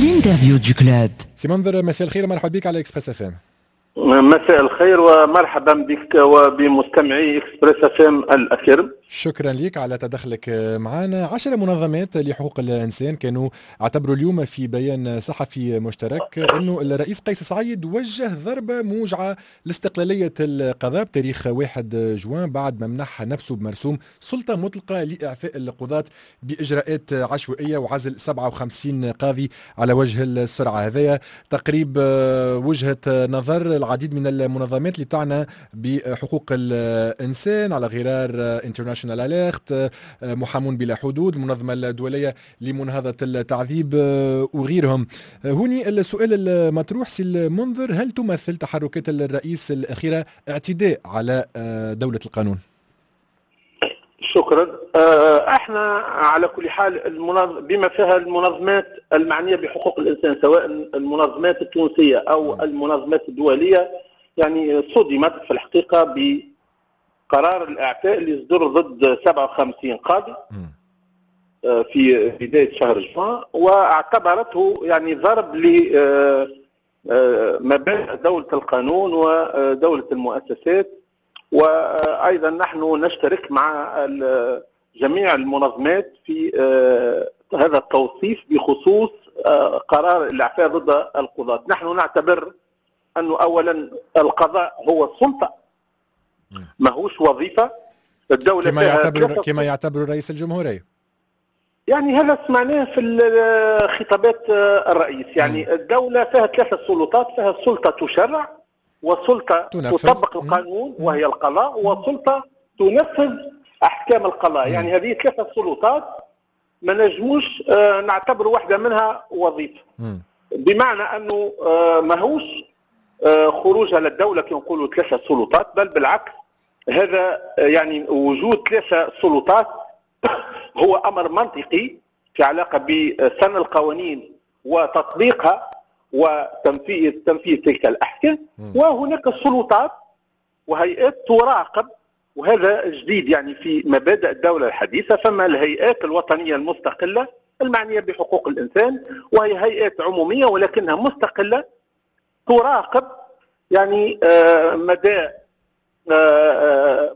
L'interview du club. سي منذر، مساء الخير، مرحبا بك على Express FM. مساء الخير ومرحبا بك وبمستمعي Express FM الاكرم. شكرا لك على تدخلك معنا. 10 منظمات لحقوق الإنسان كانوا اعتبروا اليوم في بيان صحفي مشترك أنه الرئيس قيس سعيد وجه ضربة موجعة لاستقلالية القضاء بتاريخ 1 جوان، بعد ما منح نفسه بمرسوم سلطة مطلقة لإعفاء القضاة بإجراءات عشوائية وعزل 57 قاضي على وجه السرعة. هذايا تقريب وجهة نظر العديد من المنظمات اللي تعنى بحقوق الإنسان، على غرار International Alert، محامون بلا حدود، المنظمة الدولية لمناهضة التعذيب وغيرهم. هوني السؤال المطروح سي المنذر، هل تمثل تحركات الرئيس الأخيرة اعتداء على دولة القانون؟ شكرا. احنا على كل حال بما فيها المنظمات المعنية بحقوق الانسان، سواء المنظمات التونسية او المنظمات الدوليه، يعني صدمت في الحقيقة بقرار الاعفاء اللي صدر ضد 57 قاضي في بداية شهر جوان، واعتبرته يعني ضرب ل مبادئ دولة القانون ودولة المؤسسات. وايضا نحن نشترك مع جميع المنظمات في هذا التوصيف بخصوص قرار الاعفاء ضد القضاة. نحن نعتبر انه اولا القضاء هو السلطه، ماهوش وظيفه. الدولة كما يعتبر رئيس الجمهوريه. يعني هذا سمعناه في خطابات الرئيس. يعني الدولة فيها ثلاثة سلطات، فيها سلطة تشرع، وسلطة تطبق القانون وهي القضاء، وسلطة تنفذ أحكام القضاء. يعني هذه ثلاثة سلطات ما نجموش نعتبر واحدة منها وظيفة، بمعنى أنه ماهوش خروج على الدولة كي نقولوا ثلاثة سلطات، بل بالعكس، هذا يعني وجود ثلاثة سلطات هو أمر منطقي في علاقة بسن القوانين وتطبيقها وتنفيذ تلك الأحكام. وهناك سلطات وهيئات تراقب، وهذا جديد يعني في مبادئ الدولة الحديثة. فما الهيئات الوطنية المستقلة المعنية بحقوق الإنسان، وهي هيئات عمومية ولكنها مستقلة، تراقب يعني مدى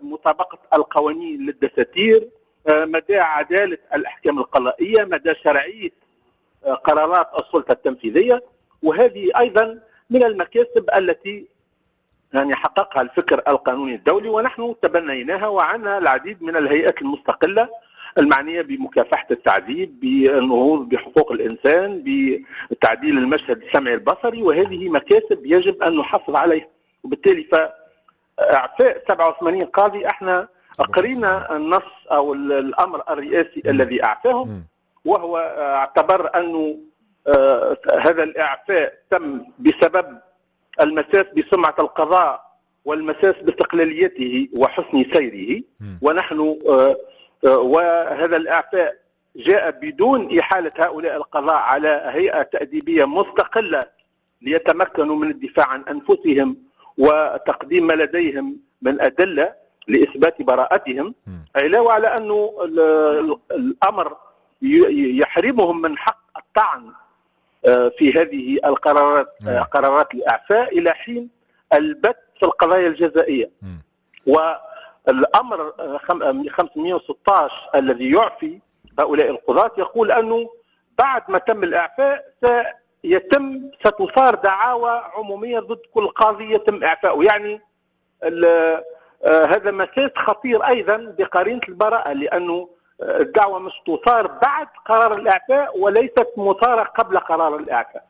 مطابقة القوانين للدساتير، مدى عدالة الأحكام القضائية، مدى شرعية قرارات السلطة التنفيذية. وهذه أيضا من المكاسب التي يعني حققها الفكر القانوني الدولي، ونحن تبنيناها، وعنا العديد من الهيئات المستقلة المعنية بمكافحة التعذيب، بالنهوض بحقوق الإنسان، بتعديل المشهد السمعي البصري، وهذه مكاسب يجب أن نحافظ عليها. وبالتالي فإعفاء 87 قاضي، احنا قرينا النص أو الأمر الرئاسي الذي أعفاهم، وهو اعتبر أنه هذا الإعفاء تم بسبب المساس بسمعة القضاء والمساس باستقلاليته وحسن سيره. ونحن وهذا الإعفاء جاء بدون إحالة هؤلاء القضاء على هيئة تأديبية مستقلة ليتمكنوا من الدفاع عن أنفسهم وتقديم ما لديهم من أدلة لإثبات براءتهم، علاوة على أنه الأمر يحرمهم من حق الطعن في هذه القرارات، قرارات الإعفاء، إلى حين البت في القضايا الجزائية. والأمر 516 الذي يعفي هؤلاء القضاة يقول أنه بعد ما تم الإعفاء ستثار دعاوى عمومية ضد كل قاضي يتم إعفاؤه. يعني هذا مساس خطير أيضا بقرينة البراءة، لأنه الدعوة مش تثار بعد قرار الإعفاء وليست مثارة قبل قرار الإعفاء.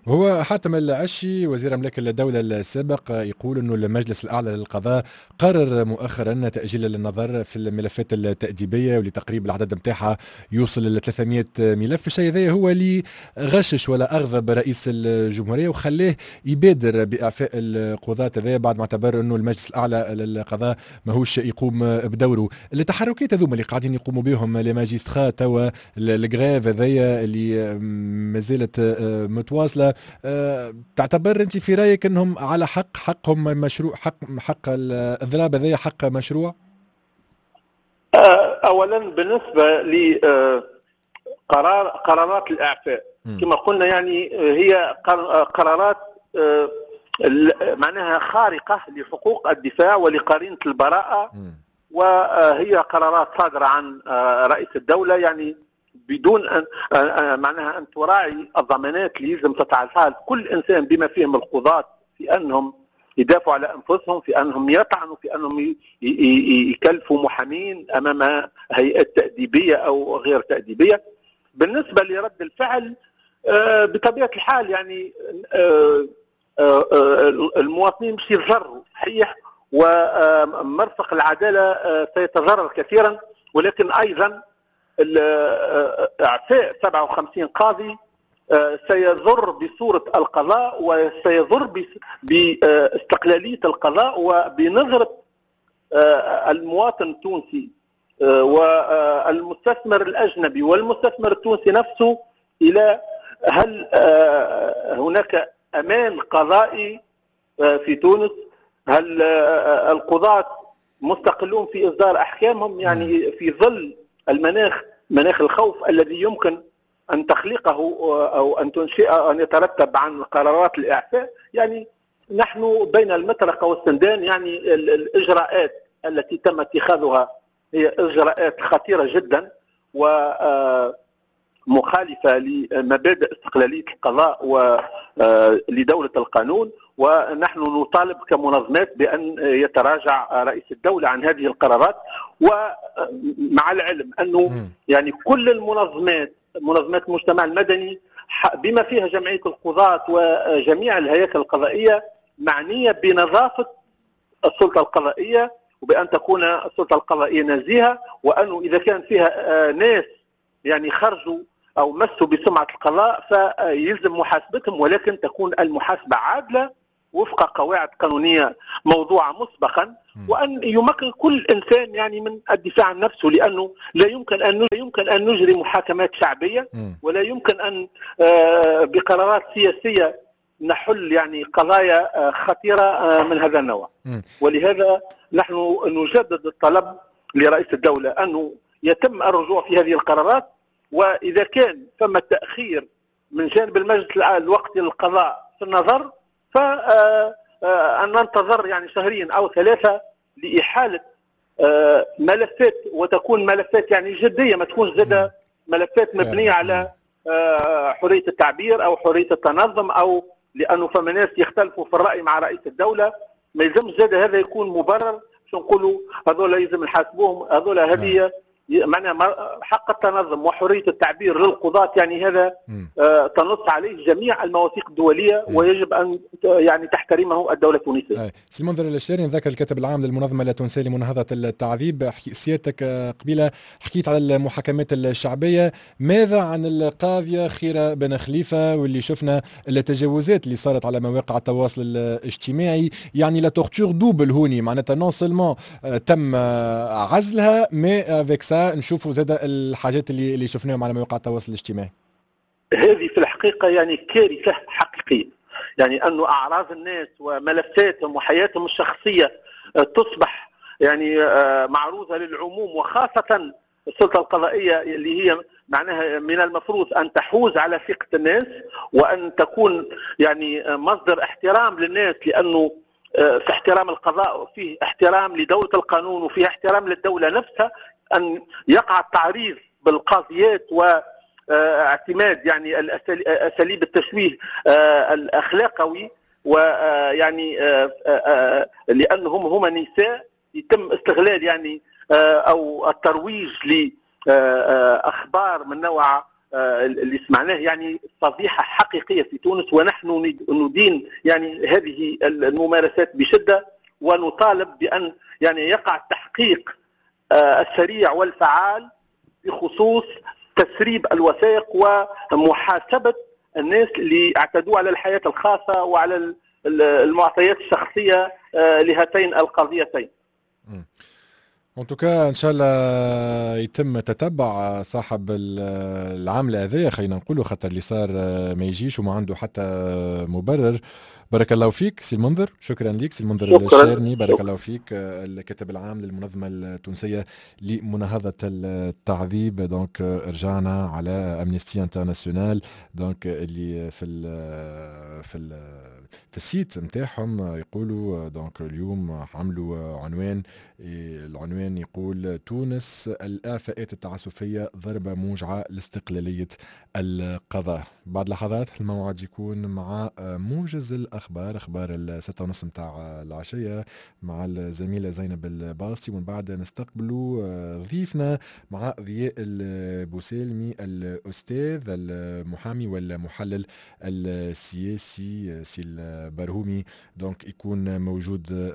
هو حاتم العشي، وزير أملاك الدولة السابق، يقول أنه المجلس الأعلى للقضاء قرر مؤخرا تأجيل النظر في الملفات التأديبية، واللي تقريبا العدد نتاعها يوصل ل 300 ملف. الشيء هذا هو اللي غشش ولا أغضب رئيس الجمهورية وخلاه يبادر بإعفاء القضاة هذا، بعد ما اعتبر أنه المجلس الأعلى للقضاء ماهوش يقوم بدوره. التحركات هذوما اللي قاعدين يقوموا بهم les magistrats توا، ال grève هذيا اللي مازالت متواصلة، تعتبر انت في رايك انهم على حق، حقهم مشروع، حق الاضراب هذا حق مشروع؟ اولا بالنسبة لقرار قرارات الاعفاء كما قلنا يعني هي قرارات معناها خارقة لحقوق الدفاع ولقرينة البراءة، وهي قرارات صادرة عن رئيس الدولة يعني بدون أن معناها أن تراعي الضمانات اللي يلزم تتعاطاها كل إنسان بما فيهم القضاة في أنهم يدافعوا على أنفسهم، في أنهم يطعنوا، في أنهم يكلفوا محامين أمام هيئات تأديبية أو غير تأديبية. بالنسبة لرد الفعل بطبيعة الحال يعني المواطنين مش يتضرروا صحيح، ومرفق العدالة سيتضرر كثيرا، ولكن أيضا إعفاء 57 قاضي سيضر بصورة القضاء وسيضر باستقلالية القضاء وبنظرة المواطن التونسي والمستثمر الأجنبي والمستثمر التونسي نفسه إلى هل هناك أمان قضائي في تونس؟ هل القضاة مستقلون في إصدار أحكامهم؟ يعني في ظل المناخ، مناخ الخوف الذي يمكن أن تخلقه أو أن تنشئ أن يترتب عن قرارات الإعفاء، يعني نحن بين المطرقة والسندان. يعني الإجراءات التي تم اتخاذها هي إجراءات خطيرة جدا ومخالفة لمبادئ استقلالية القضاء ولدولة القانون، ونحن نطالب كمنظمات بأن يتراجع رئيس الدولة عن هذه القرارات. ومع العلم أنه يعني كل المنظمات، منظمات المجتمع المدني بما فيها جمعية القضاة وجميع الهياكل القضائية، معنية بنظافة السلطة القضائية وبأن تكون السلطة القضائية نزيهة، وأنه إذا كان فيها ناس يعني خرجوا أو مسوا بسمعة القضاء فيلزم محاسبتهم، ولكن تكون المحاسبة عادلة وفق قواعد قانونية موضوعة مسبقا، وأن يمكن كل إنسان يعني من الدفاع عن نفسه، لأنه لا يمكن أن نجري محاكمات شعبية، ولا يمكن أن بقرارات سياسية نحل يعني قضايا خطيرة من هذا النوع. ولهذا نحن نجدد الطلب لرئيس الدولة أنه يتم الرجوع في هذه القرارات، وإذا كان ثم تأخير من جانب المجلس الوقتي للقضاء في النظر فأن ننتظر يعني شهرين أو 3 لإحالة ملفات، وتكون ملفات يعني جدية، ما تكونش زادة ملفات مبنية على حرية التعبير أو حرية التنظم، أو لأنه فما ناس يختلفوا في الرأي مع رئيس الدولة، ما يلزمش زادة هذا يكون مبرر باش نقولوا هذول يلزم نحاسبوهم، هذول هذه معناها حق التنظم وحرية التعبير للقضاة، يعني هذا تنص عليه جميع المواثيق الدولية ويجب أن يعني تحترمه الدولة التونسية. سي المنذر الشاري، نذكر الكاتب العام للمنظمة التونسية لمناهضة التعذيب، سيادتك قبيلة حكيت على المحاكمات الشعبية، ماذا عن القاضية خيرة بن خليفة واللي شفنا التجاوزات اللي صارت على مواقع التواصل الاجتماعي؟ يعني la torture double هوني، معناتها non seulement تم عزلها، mais avec ça نشوفوا زاد الحاجات اللي شفناهم على مواقع التواصل الاجتماعي. هذه في الحقيقة يعني كارثة حقيقية، يعني أنه أعراض الناس وملفاتهم وحياتهم الشخصية تصبح يعني معروضة للعموم، وخاصة السلطة القضائية اللي هي معناها من المفروض أن تحوز على ثقة الناس وأن تكون يعني مصدر احترام للناس، لأنه في احترام القضاء وفيه احترام لدولة القانون وفيه احترام للدولة نفسها. أن يقع التعريض بالقاضيات واعتماد يعني أساليب التشويه الأخلاقوي، ويعني لأنهم هما نساء يتم استغلال يعني أو الترويج لأخبار من نوع اللي سمعناه، يعني فضيحة حقيقية في تونس، ونحن ندين يعني هذه الممارسات بشدة، ونطالب بأن يعني يقع التحقيق السريع والفعال بخصوص تسريب الوثائق ومحاسبة الناس اللي اعتدوا على الحياة الخاصة وعلى المعطيات الشخصية لهاتين القضيتين. en tout cas ان شاء الله يتم تتبع صاحب العملة هذايا، خلينا نقولوا، خاطر اللي صار ما يجيش وما عنده حتى مبرر. بارك الله فيك سي المنذر، شكرا لك سي المنذر الشارني، بارك الله فيك، الكاتب العام للمنظمة التونسية لمناهضة التعذيب. donc رجعنا على Amnesty International، donc اللي في ال site نتاعهم يقولوا، donc اليوم عملوا عنوان، العنوان يقول: تونس، الإعفاءات التعسفية ضربة موجعة لاستقلالية القضاء. بعد لحظات الموعد يكون مع موجز الأخبار، أخبار ال6:30 متاع العشية مع الزميلة زينب الباستي، ومن بعد نستقبلوا ضيفنا مع ضياء البوسالمي، الأستاذ المحامي والمحلل السياسي، سي البرهومي، donc يكون موجود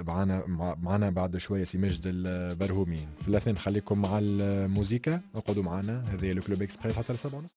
معنا بعد شوية سي ماجد البرهومي. في الاثناء نخليكم مع الموزيكا، اقعدوا معنا، هذه le Club Express حتى ل7:30.